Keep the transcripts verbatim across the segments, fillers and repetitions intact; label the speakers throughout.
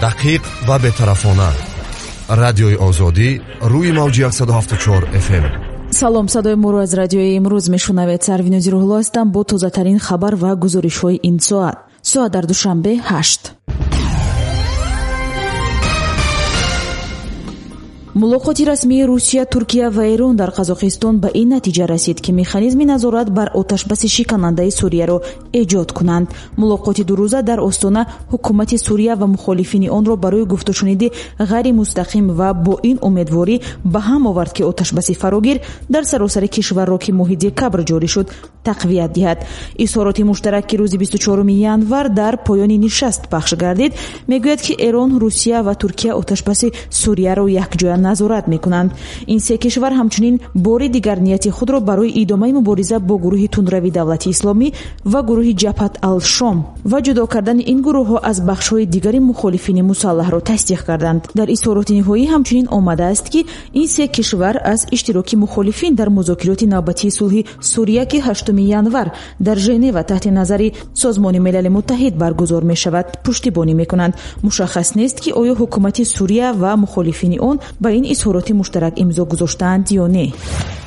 Speaker 1: Дақиқ ва бетарафона. Радиои Озодӣ рӯи мавҷи яксаду ҳафтоду чор эф эм.
Speaker 2: Салом, садои моро аз радиои имрӯз мешунавед. Сарвинози Рӯҳулло ҳастам бо тозатарин хабар ва гузоришҳои ин соат. Соат дар Душанбе ҳашт. Мулоқоти расмии Русия, Туркия ва Эрон дар Қазоқистон ба ин натиҷа расид, ки механизми назорат бар оташбаси шиканандаи Сурияро эҷод кунанд. Мулоқоти дурӯза дар Остона ҳукумати Сурия ва мухолифини онро барои гуфтушуниди ғайримустақим ва бо ин умедворӣ ба ҳам овард, ки оташбаси фарогир дар саросари кишварро, ки моҳи декабр ҷорӣ шуд, тақвият диҳад. Изҳороти муштарак, ки рӯзи бисту чоруми январ дар поёни нишаст пахш гардид, мегӯяд, ки Эрон, Русия ва Туркия оташбаси Сурияро якҷоя назорат мекунанд. Ин се кишвар ҳамчунин бори дигар нияти худро барои идомаи мубориза бо гурӯҳи тундрави давлати исломӣ ва гурӯҳи Ҷабҳат ал-Шом ва ҷудо кардани ин гурӯҳҳо аз бахшҳои дигари мухолифини мусаллаҳро тасдиқ карданд. Дар изҳороти ниҳоӣ ҳамчунин омадааст, ки ин се кишвар аз иштироки мухолифин дар музокироти навбатии сулҳи Сурия, ки ҳаштуми январ дар Женева таҳти назари Созмони Милали Муттаҳид баргузор мешавад, пуштибонӣ мекунанд. Мушаххас нест, ки оё ҳукумати Сурия ва мухолифини он ба ин изҳороти муштарак имзо гузоштаанд ё не.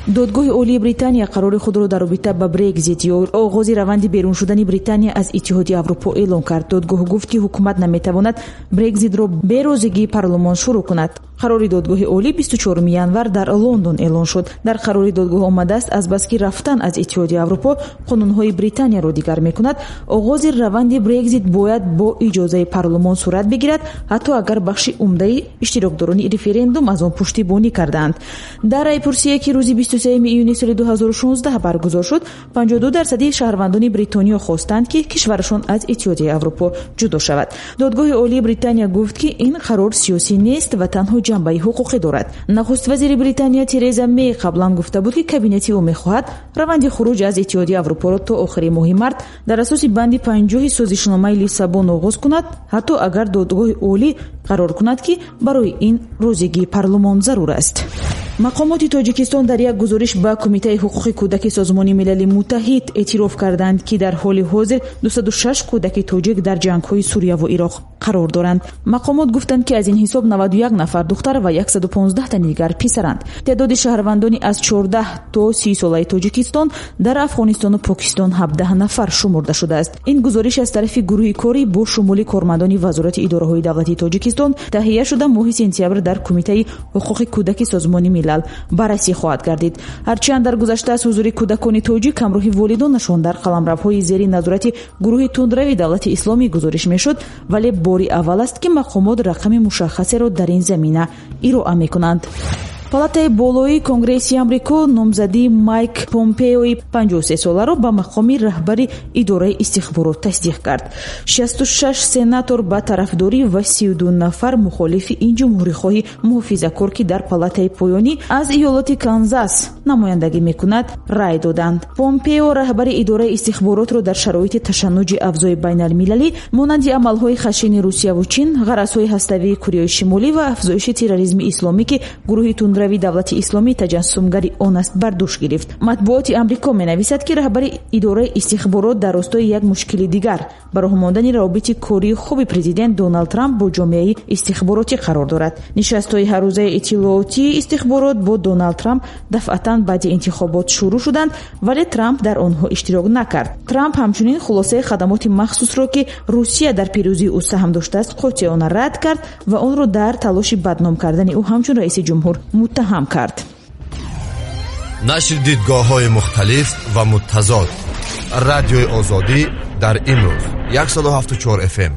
Speaker 2: Додгоҳи Олии Британия қарори худро дар робита ба Брекзит ё оғози раванди берун шудани Британия аз Иттиҳоди Аврупо эълон кард. Додгоҳ гуфт, ки ҳукумат наметавонад Брекзитро бе розигии парлумон шурӯъ кунад. Қарори додгоҳи олӣ бисту чоруми январ дар Лондон эълон шуд. Дар қарори додгоҳ омадааст, азбаски рафтан аз Иттиҳоди Аврупо қонунҳои Британияро дигар мекунад, оғози раванди Брекзит бояд бо иҷозаи парлумон сурат бигирад, ҳатто агар бахши умдаи иштирокдорони референдум аз он пуштибонӣ кардаанд. Дар райпурсие, ки рӯзи бисту сеюми июни соли ду ҳазору шонздаҳ баргузор шуд, панҷоҳу ду дарсади шаҳрвандони Бритониё хостанд, ки кишварашон аз Иттиҳоди Аврупо ҷудо шавад. Додгоҳи Олии Британия гуфт, ки ин қарор сиёсӣ нест ва танҳо ҷанбаи ҳуқуқӣ дорад. Нахуст вазири Британия Тереза Мей қаблан гуфта буд, ки кабинети ӯ мехоҳад раванди хуруҷ аз Иттиҳоди Аврупоро то охири моҳи март дар асоси банди панҷоҳи созишномаи Лиссабон оғоз кунад, ҳатто агар додгоҳи олӣ қарор кунад, ки барои ин розигии парлумон зарур аст. Мақомоти Тоҷикистон дар як гузориш ба Кумитаи ҳуқуқи кӯдаки Созмони Милали Муттаҳид эътироф карданд, ки дар ҳоли ҳозир дусаду шаш кӯдаки тоҷик дар ҷангҳои Сурия ва Ироқ қарор доранд. Мақомот гуфтанд, ки аз ин ҳисоб наваду як нафар духтар ва яксаду понздаҳ тани дигар писаранд. Теъдоди шаҳрвандони аз чордаҳ то си солаи Тоҷикистон дар Афғонистону Покистон ҳабдаҳ нафар шумурда шудааст. Ин гузориш аз тарафи гурӯҳи корӣ бо шумули кормандони Вазорати идораҳои давлатии Тоҷикистон таҳия шуда моҳи сентябр дар Кумитаи ҳуқуқи кӯдаки Созмони Милал баррасӣ хоҳад гардид. Ҳарчанд дар гузашта аз ҳузури кӯдакони тоҷик ҳамроҳи волидонашон дар қаламравҳои зери назорати гурӯҳи тундрави давлати исломӣ гузориш мешуд, вале бори аввал аст, ки мақомот рақами мушаххасеро дар ин замина ироа мекунанд. Палатаи болоии Конгресси Амрико номзадии Майк Помпеои панҷоҳу се соларо ба мақоми раҳбари идораи истихборот тасдиқ кард. шасту шаш сенатор ба тарафдорӣ ва сию ду нафар мухолифи ин ҷумҳурихоҳи муҳофизакор, ки дар палатаи поёнӣ аз иёлоти Канзас намояндагӣ мекунад, рай доданд. Помпео раҳбари идораи истихборотро дар шароити ташаннуҷи авзои байналмилалӣ монанди амалҳои хашини Русияву Чин, ғаразҳои ҳаставии Кореяи Шимолӣ ва афзоиши терроризми исломӣ, ки гурӯҳи тундрави давлати исломӣ таҷассумгари он аст, бар дӯш гирифт. Матбуоти Амрико менависад, ки раҳбари идораи истихборот дар ростои як мушкили дигар ба роҳ мондани равобити кории хуби президент Доналд Трамп бо ҷомеаи истихборотӣ қарор дорад. Нишастҳои ҳаррӯзаи иттилоотии истихборот бо Доналд Трамп дафъатан баъди интихобот шурӯъ шуданд, вале Трамп дар онҳо иштирок накард. Трамп ҳамчунин хулосаи хадамоти махсусро, ки Русия дар пирӯзии ӯ саҳм доштааст, қотеона рад кард ва онро дар талоши бадном кардани ӯ ҳамчун раиси ҷумҳур муттаҳам кард.
Speaker 1: Нашри дидгоҳҳои мухталиф ва муттазод. Радиои Озодӣ дар имрӯз яксаду ҳафтоду чор эф эм.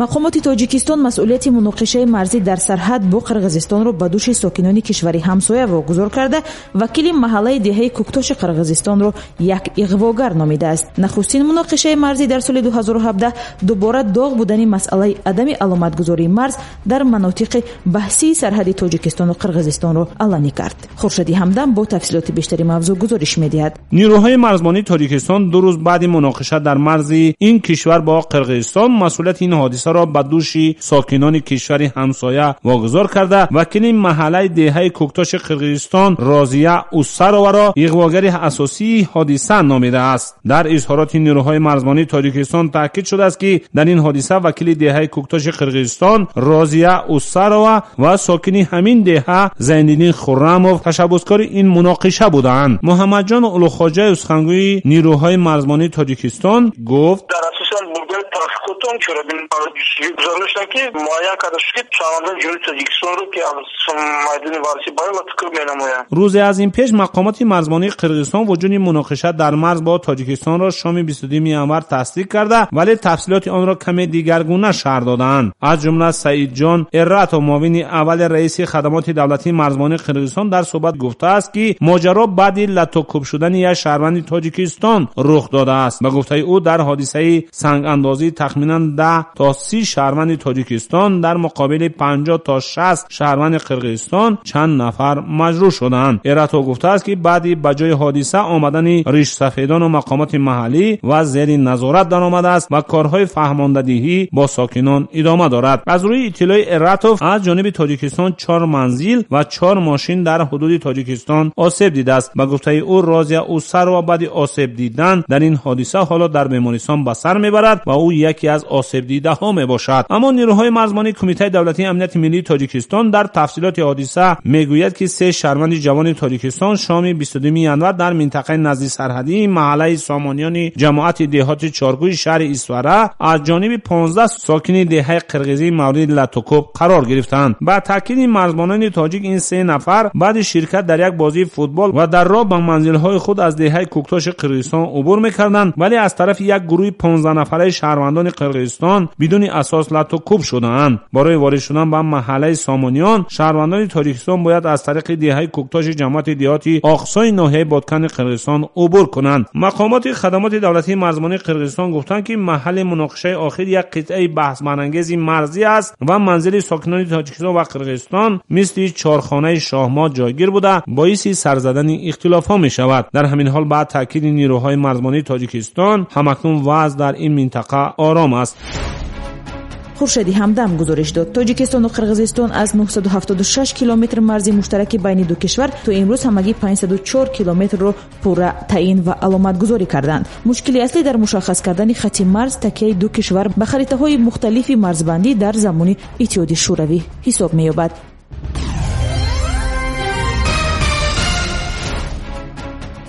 Speaker 2: Мақомоти Тоҷикистон масъулияти муноқишаи марзӣ дар сарҳад бо Қирғизистонро ба дӯши сокинони кишвари ҳамсоя вогузор карда, вакили маҳаллаи деҳаи Кӯктоши Қирғизистонро як иғвогар номидааст. Нахустин муноқишаи марзӣ дар соли ду ҳазору ҳабдаҳ дубора доғ будани масъалаи адами аломатгузории марз дар манотиқи баҳсии сарҳади Тоҷикистону Қирғизистонро аланӣ кард. Хуршеди Ҳамдам бо тафсилоти бештари мавзӯъ гузориш медиҳад.
Speaker 3: Нерӯҳои марзбонии Тоҷикистон ду рӯз баъди муноқиша дар марзи ин кишвар бо Қирғизистон масъулияти ин ҳодиса ҳодисаро ба дӯши сокинони кишвари ҳамсоя вогузор карда, вакили маҳаллаи деҳаи Кӯктоши Қирғизистон Розия Усароваро иғвогари асосии ҳодиса номидааст. Дар изҳороти нерӯҳои марзбонии Тоҷикистон таъкид шудааст, ки дар ин ҳодиса вакили деҳаи Кӯктоши Қирғизистон Розия Усарова ва сокини ҳамин деҳа Зайниддин Хуррамов ташаббускори ин муноқиша буданд. Муҳаммадҷон Улуғхоҷаев, сухангӯи нерӯҳои марзбонии Тоҷикистон, гуфт:
Speaker 4: дар асоси бурдани таҳқиқотон чорабинӣ гузаронида шуданд, ки муайян карда шуд, ки шаҳрвандони Ҷумҳурии Тоҷикистонро, ки аз майдони варзишӣ барои латукӯб менамоянд.
Speaker 3: Рӯзе аз ин пеш мақомоти марзбонии Қирғизистон вуҷуди муноқиша дар марз бо Тоҷикистонро шоми бисту дуюми январ тасдиқ карда, вале тафсилоти онро каме дигаргуна шарҳ доданд. Аз ҷумла Саидҷон Эратов, муовини аввали раиси хадамоти давлатии марзбонии Қирғизистон, дар суҳбат гуфтааст, ки моҷаро баъди латукӯб шудани як шаҳрванди Тоҷикистон рух додааст. Ба гуфтаи ӯ, дар ҳодисаи сангандозӣ тахминан даҳ то си шаҳрванди Тоҷикистон дар муқобили панҷоҳ то шаст шаҳрванди Қирғизистон чанд нафар маҷрӯҳ шуданд. Эратов гуфтааст, ки баъди ба ҷои ҳодиса омадани ришсафедону мақомоти маҳаллӣ ва зери назорат даромадааст ва корҳои фаҳмондадиҳӣ бо сокинон идома дорад. Аз рӯи иттилои Эратов, аз ҷониби Тоҷикистон чор манзил ва чор мошин дар ҳудуди Тоҷикистон осеб дидааст. Ба гуфтаи ӯ, Розия Усарова баъди осеб дидан дар ин ҳодиса ҳоло дар бемористон ба сар мебарад ва ӯ яке аз осебдидаҳо мебошад. Аммо нерӯҳои марзбонии Кумитаи давлатии амнияти миллии Тоҷикистон дар тафсилоти ҳодиса мегӯяд, ки се шаҳрванди ҷавони Тоҷикистон шоми бисту дуюми январ дар минтақаи назди сарҳадии маҳаллаи Сомониёни ҷамоати деҳоти Чоргӯи шаҳри Исфара аз ҷониби понздаҳ сокини деҳаи қирғизӣ мавриди латукӯб қарор гирифтанд. Ба таъкиди марзбонони тоҷик, ин се нафар баъди ширкат дар як бозии футбол ва дар роҳ ба манзилҳои худ аз деҳаи Кӯктоши Қирғизистон убур мекарданд, вале аз тарафи як гурӯҳи понздаҳ нафараи шаҳрвандони Қирғизистон бидуни асос латукӯб шудаанд. Барои ворид шудан ба маҳаллаи Сомониён шаҳрвандони Тоҷикистон бояд аз тариқи деҳаи Кӯктоши ҷамоати деҳоти Оқсои ноҳияи Боткани Қирғизистон убур кунанд. Мақомоти хадамоти давлатии марзбонии Қирғизистон гуфтанд, ки маҳалли муноқишаи охир як қитъаи баҳсбарангези марзӣ аст ва манзили сокинони Тоҷикистон ва Қирғизистон мисли чорхонаи шоҳмот ҷойгир буда, боиси сар задани ихтилофҳо мешавад. Дар ҳамин ҳол, ба таъкиди нерӯҳои марзбонии Тоҷикистон, ҳамакнун вазъ дар ин минтақа ором аст.
Speaker 2: Хуршеди Ҳамдам гузориш дод. Тоҷикистону Қирғизистон аз нӯҳсаду ҳафтоду шаш километр марзи муштараки байни ду кишвар то имрӯз ҳамагӣ панҷсаду чор километрро пурра таъин ва аломатгузорӣ карданд. Мушкили аслӣ дар мушаххас кардани хати марз такяи ду кишвар ба харитаҳои мухталифи марзбандӣ дар замони Иттиҳоди Шӯравӣ ҳисоб меёбад.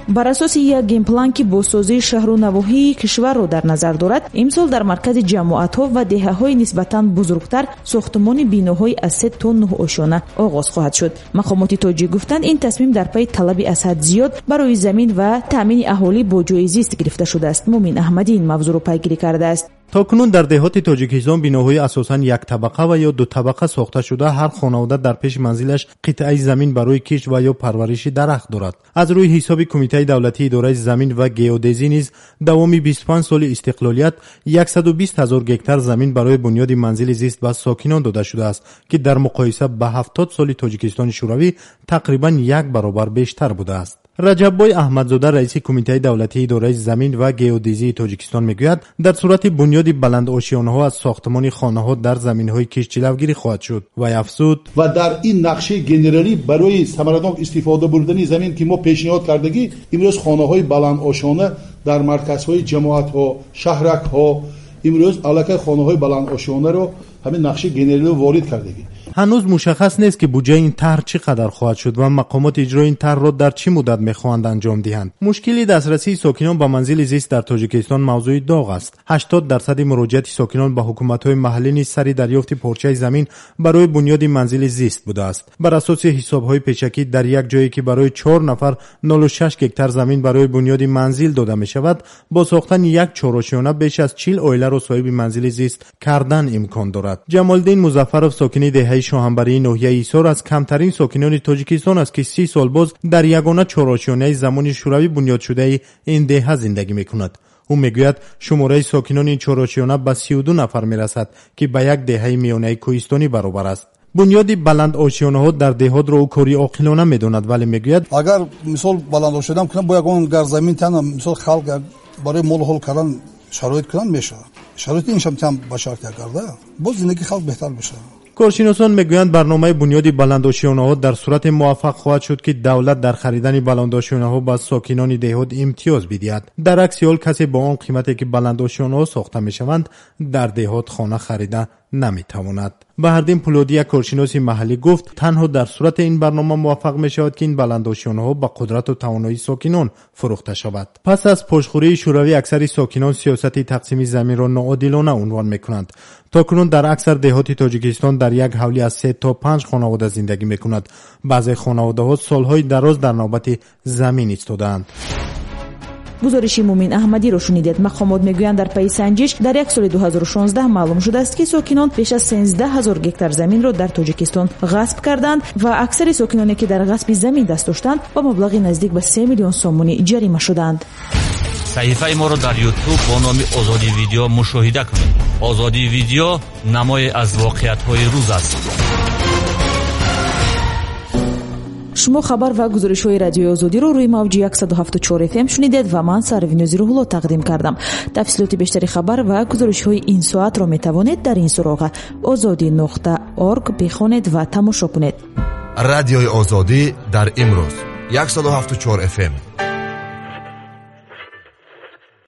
Speaker 2: Бар асоси як генплан, ки бозсозии шаҳру навоҳии кишварро дар назар дорад, имсол дар маркази ҷамоатҳо ва деҳаҳои нисбатан бузургтар сохтумони биноҳои аз се то нӯҳ ошёна оғоз хоҳад шуд. Мақомоти тоҷик гуфтанд, ин тасмим дар пайи талаби аз ҳад зиёд барои замин ва таъмини аҳолӣ бо ҷойи зист гирифта шудааст. Мумин Аҳмадӣ ин мавзӯъро пайгирӣ кардааст.
Speaker 5: То кунун дар деҳоти Тоҷикистон биноҳои асосан яктабақа ва ё дутабақа сохта шуда, ҳар хонавода дар пеши манзилаш қитъаи замин барои кишт ва ё парвариши дарахт дорад. Аз рӯи ҳисоби Кумитаи давлатии идораи замин ва геодезӣ низ давоми бисту панҷ соли истиқлолият яксаду бист ҳазор гектар замин барои бунёди манзили зист ба сокинон дода шудааст, ки дар муқоиса ба ҳафтод соли Тоҷикистони Шӯравӣ тақрибан як баробар бештар будааст. Раҷаббой Аҳмадзода, раиси Кумитаи давлатии идораи замин ва геодезии Тоҷикистон, мегӯяд, дар сурати бунёди баландошёнаҳо аз сохтмони хонаҳо дар заминҳои кишт ҷилавгирӣ хоҳад шуд. Вай афзуд:
Speaker 6: Ва дар ин нақшаи генералӣ барои самаранок истифода бурдани замин, ки мо пешниҳод кардагӣ, имрӯз хонаҳои баландошёна дар марказҳои ҷамоатҳо, шаҳракҳо, имрӯз аллакай хонаҳои баландошёнаро ҳамин нақшаи генералӣ ворид кардагӣ.
Speaker 5: Ҳанӯз мушаххас нест, ки буҷаи ин тарҳ чӣ қадар хоҳад шуд ва мақомоти иҷрои ин тарҳро дар чӣ муддат мехоҳанд анҷом диҳанд. Мушкили дастрасии сокинон ба манзили зист дар Тоҷикистон мавзӯи доғ аст. Ҳаштод дарсади муроҷиати сокинон ба ҳукуматҳои маҳаллӣ низ сари дарёфти порчаи замин барои бунёди манзили зист будааст. Бар асоси ҳисобҳои пешакӣ, дар як ҷое, ки барои чор нафар нолу шаш гектар замин барои бунёди манзил дода мешавад, бо сохтани як чорошёна беш аз чил оиларо соҳиби манзили зист кардан имкон дорад. Ҷамолиддин Музаффаров, сокини деҳаи Шоҳанбарии ноҳияи Ҳисор, аз камтарин сокинони Тоҷикистон аст, ки си сол боз дар ягона чорошёнаи замони шӯравӣ бунёдшудаи ин деҳа зиндагӣ мекунад. Ӯ мегӯяд, шумораи сокинони ин чорошёна ба сию ду нафар мерасад, ки ба як деҳаи миёнаи кӯҳистонӣ баробар аст. Бунёди баландошёнаҳо дар деҳотро ӯ кори оқилона медонад, вале мегӯяд:
Speaker 6: Агар мисол баландошёна кунам, бо ягон гар замин тан, мисол, халқ барои молу ҳол кардан шароит кунанд, мешавад.
Speaker 7: Шароити ин шам ба шарт карда, боз зиндагии халқ беҳтар мешавад.
Speaker 5: Коршиносон мегӯянд, барномаи бунёди баландошёнаҳо дар сурате муваффақ хоҳад шуд, ки давлат дар харидани баландошёнаҳо ба сокинони деҳот имтиёз бидиҳад. Дар акси ҳол касе бо он қимате ки баландошёнаҳо сохта мешаванд, дар деҳот хона харида наметавонад. Баҳрдин Пулодӣ, як коршиноси маҳаллӣ, гуфт, танҳо дар сурате ин барнома муваффақ мешавад, ки ин баландошёнаҳо ба қудрату тавоноии сокинон фурӯхта шавад. Пас аз пошхӯрии Шӯравӣ аксари сокинон сиёсати тақсими заминро ноодилона унвон мекунанд. То кунун дар аксар деҳоти Тоҷикистон дар як ҳавлӣ аз се то панҷ хонавода зиндагӣ мекунад. Баъзе хонаводаҳо солҳои дароз дар навбати замин истодаанд.
Speaker 2: Гузориши Мумин Аҳмадиро шунидед. Мақомот мегӯянд, дар пайи санҷиш дар як соли ду ҳазору шонздаҳ маълум шудааст, ки сокинон беш аз сенздаҳ ҳазор гектар заминро дар Тоҷикистон ғасб карданд ва аксари сокиноне, ки дар ғасби замин даст доштанд, ба маблағи наздик ба се миллион сомонӣ ҷарима шуданд.
Speaker 8: Саҳифаи моро дар Ютуб бо номи Озодӣ Видео мушоҳида кунед. Озодӣ Видео намое аз воқеиятҳои рӯз аст.
Speaker 2: Шумо хабар ва гузоришҳои Радиои Озодиро рӯи мавҷи яксаду ҳафтоду чор F M шунидед ва ман Сарвинози Рӯҳулло тақдим кардам. Тафсилоти бештари хабар ва гузоришҳои ин соатро метавонед дар ин суроға озодӣ нуқта орг бихонед ва тамошо кунед.
Speaker 1: Радиои Озодӣ дар имрӯз, яксаду ҳафтоду чор F M.